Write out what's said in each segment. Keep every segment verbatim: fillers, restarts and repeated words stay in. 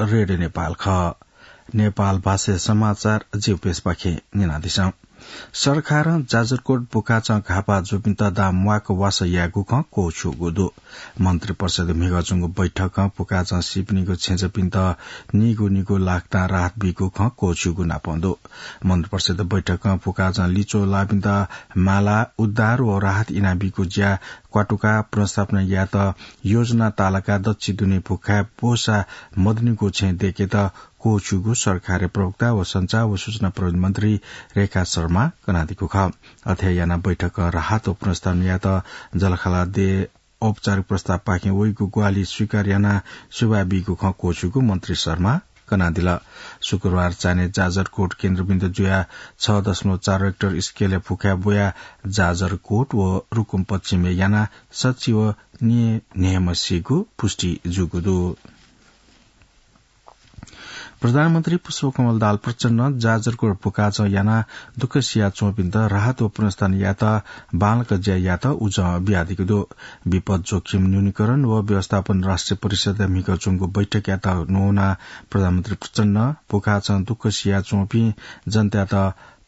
रेडियो नेपाल खः। नेपाल भाषा समाचार जिउपेसपाखे न्यनादिसँ। सरकारं जाजरकोट बुकाचं घाःपाः जूपिन्त दां म्वाक वासः यायेगु खँ क्वःछ्यूगु दु। मन्त्रिपरिषद म्हिगः च्वंगु बैठकं बुकाचं सीपिनिगु छेँजःपिन्त निगू निगू लाख दां राहत बीगु खँ क्वःछ्यूगु नापं दु। मन्त्रिपरिषद बैठकं बुकाचं लिच्वः लाःपिन्त माला, उद्धार व राहत इनाबीगु ज्या क्वातुकाः पुनर्स्थापना यायेत योजना तालाकाः दच्छि दुने भुखाय् ब्वःसा मदुनिगु छेँ दयेकेत क्वःछ्यूगु सरकारया प्रवक्ता व सञ्चार व सूचना प्रविधि मन्त्री रेखा शर्मां कनादीगु खः। अथे यानाः बैठकं राहत व पुनर्स्थापना यायेत जःलाखःला देय् औपचारिक प्रस्तावपाखें वइगु ग्वाहालि स्वीकार यानाः सुभाय् बीगु खँ क्वःछ्यूगु मन्त्री शर्मां कनादिल। शुक्रबार चान्हय् जाजरकोट केन्द्रबिन्दु जुयाः छ दशमलव चार रेक्टर स्केलय् भुखाय् ब्वयाः जाजरकोट व रुकुम पश्चिमय् यानाः सच्छि व नीन्हय्म्ह सीगु पुष्टि जूगु दु। प्रधानमन्त्री पुष्पकमल दाहाल प्रचण्डं जाजरकोट भुखाचं यानाः दुःख सियाच्वंपिन्त राहत व पुनर्स्थापना यायेत बांलाक ज्या यायेत उजं बियादीगु दु। विपद जोखिम न्यूनीकरण व व्यवस्थापन राष्ट्रिय परिषदया म्हिगः च्वंगु बैठकयात न्ववानाः प्रधानमन्त्री प्रचण्डं भुखाचं दुःख सियाच्वंपिं जनतायात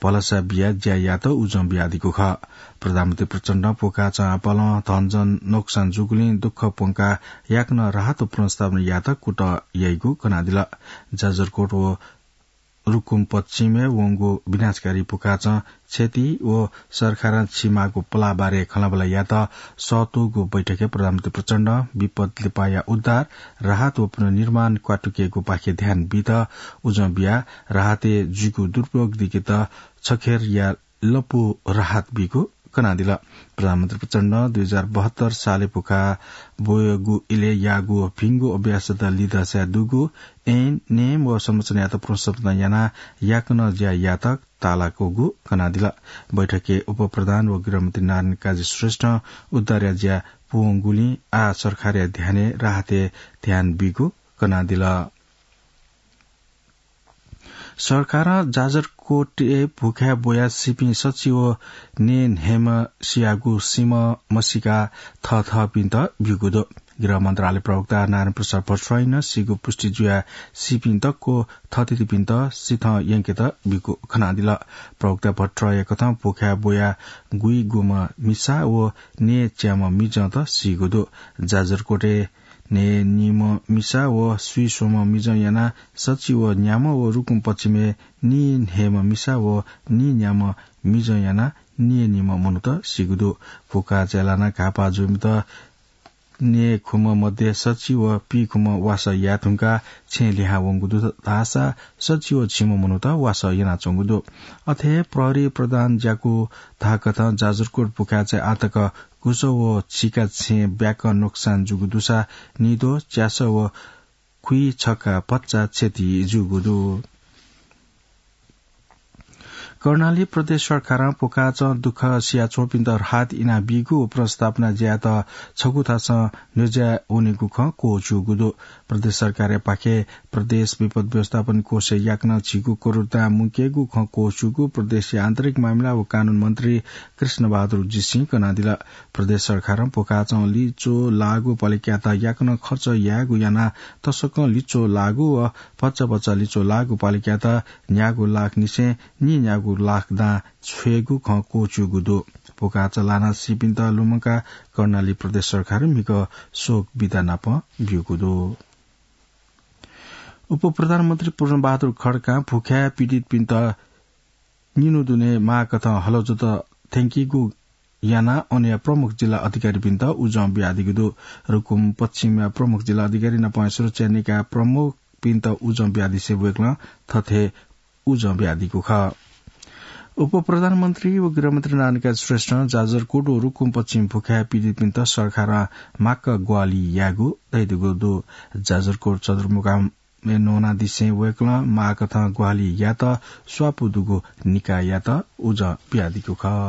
भलसा बियाः ज्या यायेत उजं बियादीगु खः। प्रधानमन्त्री प्रचण्डं भुखाचं आपालं धनजन नोक्सान जूगुलिं दुःख प्वंकाः याकनं राहत व पुनर्स्थापना यायेत कुतः याइगु कनादिल। जाजरकोट व रुकुम पश्चिमय् वंगु विनाशकारी भुखाचं क्षति व सरकारं छिमाःगु पलाः बारे खँल्हाबल्हा यायेत सःतूगु बैठकय् प्रधानमन्त्री प्रचण्डं विपद लिपाया उद्धार, राहत व पुनर्निर्माण क्वातुकेगुपाखे ध्यान बीत उजं बियाः राहतय् जुइगु दुरुपयोग दिकेत छखेरया लँपु राहत बीगु कनादिल। प्रधानमन्त्री प्रचण्डं दुई हजार बहत्तर सालय् भुखाय् ब्वःगु इलय् याःगु भिंगु अभ्यासत लिधंसाय् दुगु ऐन, नियम व संरचनायात पुनर्संशोधन यानाः याकनं ज्या यायेत तालाकूगु कनादिल। बैठकय् उपप्रधान व गृहमन्त्री नारायण काजी श्रेष्ठं उद्धारया ज्या पूवंगुलिं आः सरकारया ध्यानय् राहतय् ध्यान बीगु कनादिल। सरकारं जाजरकोटय् भुखाय् ब्वयाः सीपिं सच्छि व नीन्हय्म्ह सियागु सीम्ह मसीकाः थःथःपिन्त ब्यूगु दु। गृह मन्त्रालय प्रवक्ता नारायण प्रसाद भट्टराईं नं सीगु पुष्टि जुयाः सीपिं दक्व थःथितिपिन्त सिथं यंकेत ब्यूगु कनादिल। प्रवक्ता भट्टराईया कथं भुखाय् ब्वयाः गुइगुम्ह मिसा व न्यय्च्याम्ह मिजंत सीगु दु। जाजरकोटय् न्यय्निम्ह मिसा व स्वीस्वम्ह मिजं यानाः सच्छि व न्याम्ह व रुकुम पश्चिमय् नीन्हय्म्ह मिसा व नीन्याम्ह मिजं यानाः नीन्हय्म्ह मनूत सीगु दु। भुखाचं लानाः घाःपाः जूपिन्त न्यय्खुम्ह मध्ये सच्छि व पीखुम्ह वासः याये धुंकाः छेँ लिहां वंगु दु धाःसा सच्छि व झिम्ह मनूत वासः यानाच्वंगु दु। अथे हे प्रहरी प्रधान ज्याकू धाःकथं जाजरकोट भुखाय् आःतक गुसः व झिका छेँ ब्याकं नोक्सान जूगु दुसा निद्वः, च्यासः व खुइछक्का भचा क्षति जूगु दु। कर्णाली प्रदेश सरकारं भुखाचं दुःख सियाच्वंपिन्त राहत इनाबीगु व पुनर्स्थापना ज्यायात छगू थासं न्ह्यज्याये वनीगु खँ क्वःछ्यूगु दु। प्रदेश सरकारयापाखें प्रदेश विपद व्यवस्थापन कोषय् याकनं झिगू करोड दां मुंकेगु खँ क्वःछ्यूगु प्रदेशया आन्तरिक मामिला व कानून मन्त्री कृष्णबहादुर जीसिं कनादिल। प्रदेश सरकारं भुखाचं लिच्वः लाःगु पालिकायात याकनं खर्च यायेगु यानाः तसकं लिच्वः लाःगु व भचा भचा लिच्वः लाःगु पालिकायात न्यागू लाख निसें नीन्यागू लाख दां छ्वयेगु खँ क्वःछ्यूगु दु। भुखाचं लानाः सीपिन्त लुमंकाः कर्णाली प्रदेश सरकारं म्हिगः शोक बिदा नाप ब्यूगु दु। उपप्रधानमन्त्री पूर्णबहादुर खड्कां भुखाय् पीडितपिन्त निन्हु दुने माःकथं हलजोत थ्यंकीगु यानाः अनया प्रमुख जिल्ला अधिकारीपिन्त उजं बियादीगु दु। रुकुम पश्चिमया प्रमुख जिल्ला अधिकारी नापं सुरक्षा निकाय प्रमुखपिन्त उजं बियादिसें वय्कलं थथे उजं बियादीगु खः। उपप्रधानमन्त्री व गृहमन्त्री नारायण काजी श्रेष्ठं जाजरकोट व रुकुम पश्चिम भुखाय् पीडितपिन्त सरकारं माक्क ग्वाहालि यायेगु धयादीगु दु। जाजरकोट सदरमुकाम मे नोनादिसें वय्कलं माःकथं ग्वाहालि यायेत स्वापू दुगु निकाययात उजं बियादीगु खः।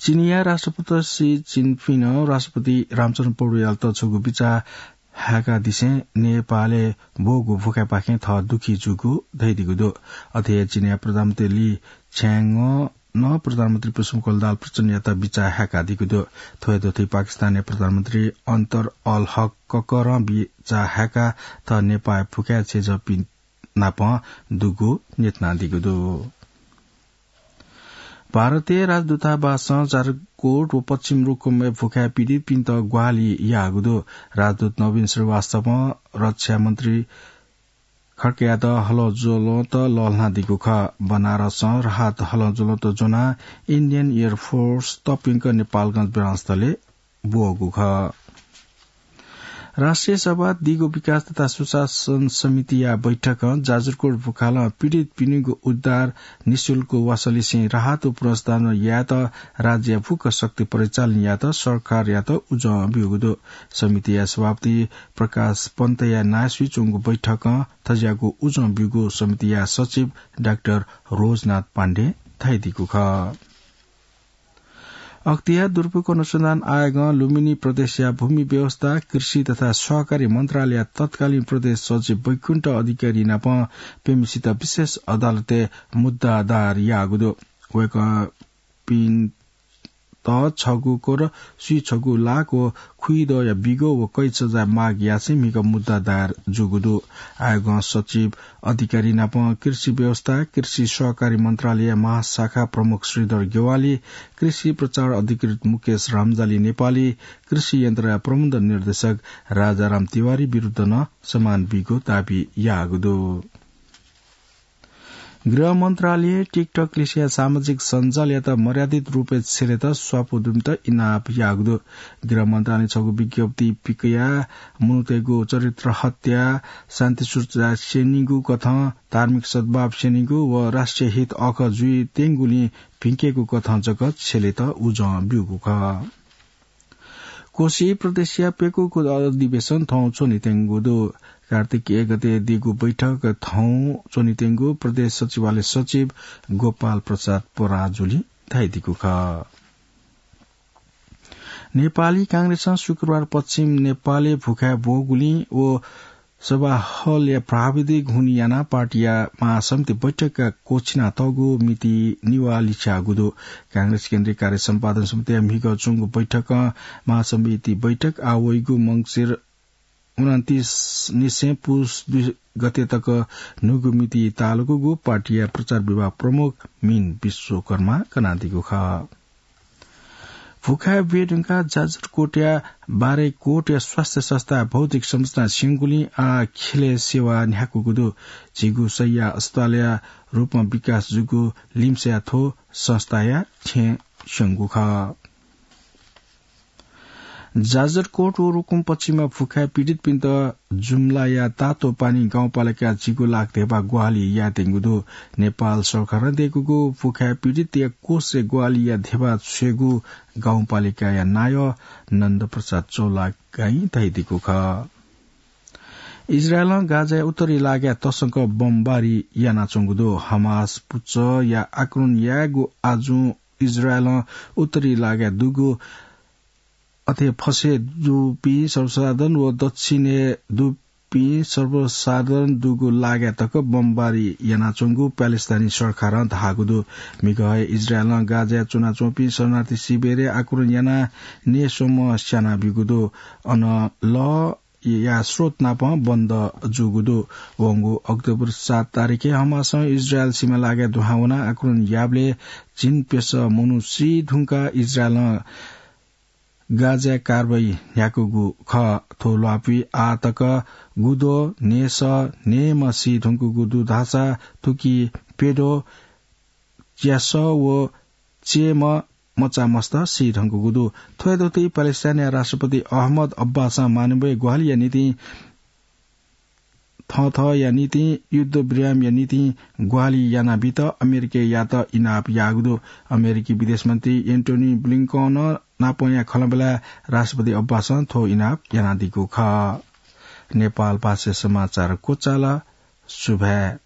चिनिया राष्ट्रपति सी जिनपिङं राष्ट्रपति रामचन्द्र पौडेलयात छगू बिचाः हाय्कादिसें नेपालय् ब्वःगु भुखाय्पाखें थः दुःखी जूगु धयादीगु दु। अथे हे चिनिया प्रधानमन्त्री ली छ्याङं नं प्रधानमन्त्री पुष्पकमल दाहाल प्रचण्डयात बिचाः हाय्कादीगु दु। थ्व हे दथुइ पाकिस्तानया प्रधानमन्त्री अन्तर अल हक ककरं बिचाः हाय्काः थः नेपाःया भुखाय् छेँजःपिं नाप दुगु न्ह्यथनादीगु दु। भारतीय राजदूतावासं जाजरकोट व पश्चिम रुकुमय् भुखाय् पीडितपिन्त ग्वाहालि याःगु दु। राजदूत नवीन श्रीवास्तवं रक्षा मन्त्री खड्कायात हलंज्वलंत लःल्हानादीगु खः। बनारसं राहत हलंज्वलंत ज्वनाः Indian Air Force तःपिन्क नेपालगंज विमानस्थलय् ब्वःगु खः। राष्ट्रिय सभा दिगो विकास तथा सुशासन समितिया बैठकं जाजरकोट भुखालं पीडितपिनिगु उद्धार, निशुल्क वासलिसें राहत व पुनर्स्थापना यायेत राज्यया फुक्क शक्ति परिचालन यायेत सरकारयात उजं ब्यूगु दु। समितिया सभापति प्रकाश पन्तया नायःसुइ च्वंगु बैठकं थज्याःगु उजं ब्यूगु समितिया सचिव डाक्टर रोजनाथ पाण्डे धयादीगु खः। अख्तियार दुरुपयोग अनुसन्धान आयोगं लुम्बिनी प्रदेशया भूमि व्यवस्था, कृषि तथा सहकारी मन्त्रालयया तत्कालीन प्रदेश सचिव वैकुण्ठ अधिकारी नाप प्यम्हेसित विशेष अदालतय् मुद्दा दायर याःगु दु। वय्कःपिन्त छगू कोर, स्वीछगू लाख व खुइदँया बिगो व कैद सजाय माग यासें म्हिगः मुद्दा दायर जूगु दु। आयोगं सचिव अधिकारी नाप कृषि व्यवस्था, कृषि सहकारी मन्त्रालय महाशाखा प्रमुख श्रीधर ज्ञवाली, कृषि प्रचार अधिकृत मुकेश रामजाली नेपाली, कृषि यन्त्रया प्रबन्ध निर्देशक राजाराम तिवारी विरुद्ध नं सम्मान बीगु दाबी याःगु दु। गृह मन्त्रालयं TikTok लिसेया सामाजिक सञ्जालयात मर्यादित रूपय् छ्यलेत स्वापू दुपिन्त इनाप याःगु दु। गृह मन्त्रालयं छगू विज्ञप्ति पिकयाः मनूतय्गु चरित्र हत्या, शान्ति सुरक्षा स्यनीगु कथं धार्मिक सद्भाव स्यनीगु व राष्ट्रिय हित अःखः जुइत्यंगुलिं भिंकेगु कथं जक छ्यलेत उजं ब्यूगु खः। कोशी प्रदेशया प्यकूगु अधिवेशन थौं च्वनेत्यंगु दु। कार्तिक एक गते दीगु बैठक थौं च्वनेत्यंगु प्रदेश सचिवालय सचिव गोपाल प्रसाद पराजुली धयादीगु खः। नेपाली कांग्रेसं शुक्रबार पश्चिम नेपालय् भुखाय् ब्वःगुलिं व सभा हलया प्राविधिक हुनिं यानाः पार्टीया महासमिति बैठकया क्वःछिनातःगु मिति निभाः लिछ्याःगु दु। कांग्रेस केन्द्रीय कार्य सम्पादन समितिया म्हिगः च्वंगु बैठकं महासमिति बैठक आः वइगु मंसिर उनन्तीस निसें पुस दुई गते तक न्हूगु मिति ताःलाकूगु पार्टीया प्रचार विभाग प्रमुख मिन विश्वकर्मां कनादीगु खः। भुखाय् ब्वये धुंकाः जाजरकोटया बारेकोटया स्वास्थ्य संस्थाया भौतिक संरचना स्यंगुलिं आः ख्यलय् सेवा न्ह्याकूगु दु। झीगु शैय्या अस्पतालया रूपं विकास जूगु लिमसाया थ्व संस्थाया छेँ स्यंगु खः। जाजरकोट व रुकुम पश्चिमया भुखाय् पीडितपिन्त जुम्लाया तातोपानी गाउँपालिकां झिगू लाख धेबा ग्वाहालि यायेत्यंगु दु। नेपाल सरकारं दय्कूगु भुखाय् पीडितया कोषय् ग्वाहालिया धेबा छ्वयेगु गाउँपालिकाया नायः नन्दप्रसाद चौलागाईं धयादीगु खः। इजरायलं गाजाया उत्तरी लागाय् तसकं बमबारी यानाच्वंगु दु। हमास पुचःया आक्रमण यायेगु आजुं इजरायलं उत्तरी लागाय् दुगु अथे फसय् दुपिं सर्वसाधारण व दक्षिणय् दुपिं सर्वसाधारण दुगु लागाय् तक बमबारी यानाच्वंगु प्यालेस्तानी सरकारं धाःगु दु। म्हिगः हे इजरायलं गाजाय् च्वनाच्वंपिं शरणार्थी शिविरय् आक्रमण यानाः न्यय्स्वम्ह स्यानाब्यूगु दु। अन लः या स्रोत नाप बन्द जूगु दु। वंगु अक्टोबर सात तारिखय् हमासं इजरायल सीमा लागाय् दुहां वनाः आक्रमण याःबलय् झिंप्यसः मनू सी धुंकाः इजरायलं गाजाय् कारवाही न्ह्याकूगु खः। थ्व ल्वापुइ आः तक गुद्वः न्हय्सः न्हय्म्ह सी धुंकूगु दु धाःसा थुकी प्यद्वः, च्यासः व चय्म्ह मचामस्त सी धुंकूगु दु। थ्व हे दथुइ प्यालेस्टाइनया राष्ट्रपति अहमद अब्बासं मानवीय ग्वाहालिया निंतिं थःथःया निंतिं युद्धविरामया निंतिं ग्वाहालि यानाबीत अमेरिकायात इनाप याःगु दु। अमेरिकी विदेश मन्त्री एन्टोनी ब्लिंकन नापंया खँल्हाबल्हाय् राष्ट्रपति अब्बासं थ्व इनाप यानादीगु खः। नेपाल भाषा समाचार क्वचाल। सुभाय्।